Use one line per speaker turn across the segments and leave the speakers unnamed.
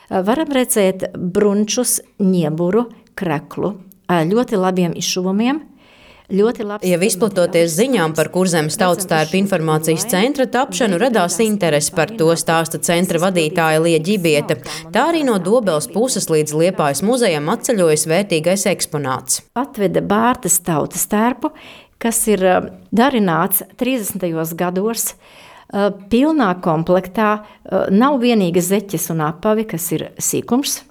varam redzēt brunčus, ņieburu, kreklu, ļoti labiem izšuvumiem.
Jau izplatoties ziņām par Kurzemes tautstērpu informācijas centra tapšanu, radās interese par to, stāsta centra vadītāja Lija Ģibiete. Tā arī no Dobeles puses līdz Liepājas muzejam atceļojas vērtīgais eksponāts.
Atveda Bārtas tautstērpu, kas ir darināts 30. gados, pilnā komplektā, nav vienīga zeķes un apavi, kas ir sīkums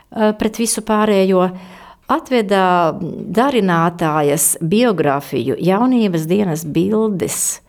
pret visu pārējo. Atveda darinātājas biogrāfiju, jaunības dienas bildes.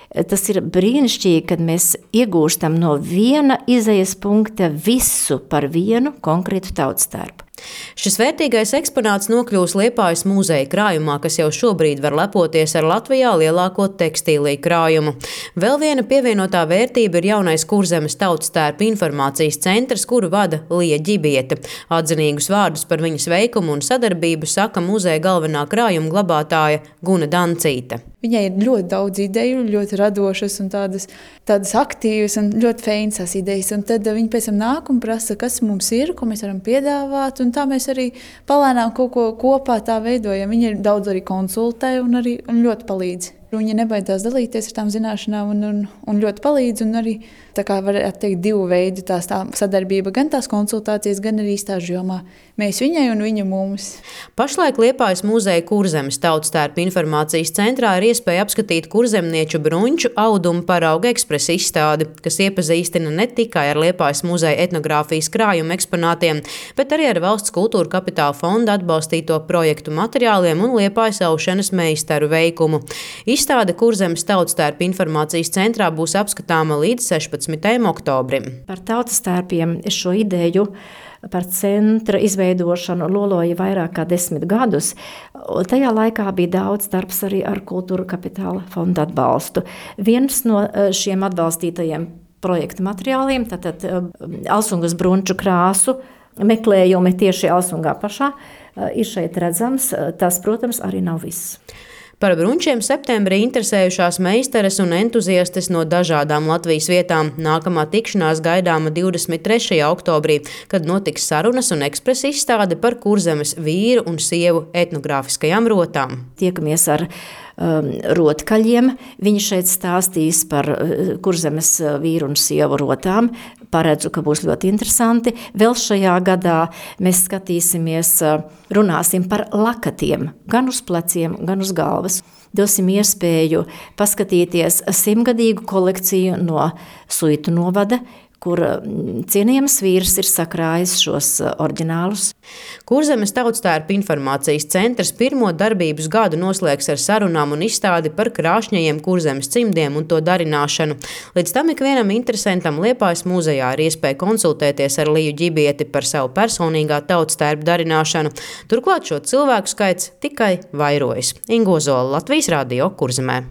Tas ir brīnišķīgi, kad mēs iegūstam no viena izejas punkta visu par vienu konkrētu tautstērpu.
Šis vērtīgais eksponāts nokļūs Liepājas muzeja krājumā, kas jau šobrīd var lepoties ar Latvijā lielāko tekstīliju krājumu. Vēl viena pievienotā vērtība ir jaunais Kurzemes tautstērpu informācijas centrs, kuru vada Lija Ģibiete. Atzinīgus vārdus par viņas veikumu un sadarbību saka muzeja galvenā krājuma glabātāja Guna Dancīte.
Viņai ir ļoti daudz ideju, ļoti radošas un tādas aktīvas un ļoti feinas idejas. Un tad viņi pēc tam nāk un prasa, kas mums ir, ko mēs varam piedāvāt. Un tā mēs arī palēnām kaut ko kopā tā veidojam. Viņi daudz arī konsultē un ļoti palīdz. Viņa nebaidās dalīties ar tām zināšanām un ļoti palīdz. Un arī, tā kā varētu teikt, divu veidu tā sadarbība, gan tās konsultācijas, gan arī stāžu jomā. Mēs viņai un viņa mums.
Pašlaik Liepājas muzeja Kurzemes tautstērpu informācijas centrā ir iespēja apskatīt kurzemnieču brunču audumu parauga ekspresa izstādi, kas iepazīstina ne tikai ar Liepājas muzeja etnogrāfijas krājuma eksponātiem, bet arī ar Valsts kultūra kapitāla fonda atbalstīto projektu materiāliem un Liepājas aušanas meistaru veikumu. Izstāde Kurzemes tautstērpu informācijas centrā būs apskatāma līdz 16. oktobrim.
Par tautstērpiem šo ideju par centra izveidošanu loloja vairāk kā 10 gadus. Tajā laikā bija daudz darbs arī ar kultūra kapitāla fonda atbalstu. Viens no šiem atbalstītajiem projektu materiāliem, tātad Alsungas brunču krāsu meklējumi tieši Alsungā pašā, ir šeit redzams. Tas, protams, arī nav viss.
Par brunčiem septembrī interesējušās meistares un entuziastes no dažādām Latvijas vietām. Nākamā tikšanās gaidāma 23. oktobrī, kad notiks sarunas un ekspresa izstāde par Kurzemes vīru un sievu etnogrāfiskajām rotām.
Tiekamies ar rotkaļiem. Viņi šeit stāstīs par Kurzemes vīru un sievu rotām. Paredzu, ka būs ļoti interesanti. Vēl šajā gadā mēs skatīsimies, runāsim par lakatiem, gan uz pleciem, gan uz galvas. Dosim iespēju paskatīties 100-gadīgu kolekciju no Suitu novada, kur cienījams vīrs ir sakrājis šos oriģinālus.
Kurzemes tautstērpu informācijas centrs pirmo darbības gadu noslēgs ar sarunām un izstādi par krāšņajiem Kurzemes cimdiem un to darināšanu. Līdz tam ikvienam interesantam Liepājas muzejā ir iespēja konsultēties ar Liju Ģibieti par savu personīgā tautstērpu darināšanu. Turklāt šo cilvēku skaits tikai vairojas. Ingo Zola, Latvijas Radio, Kurzemē.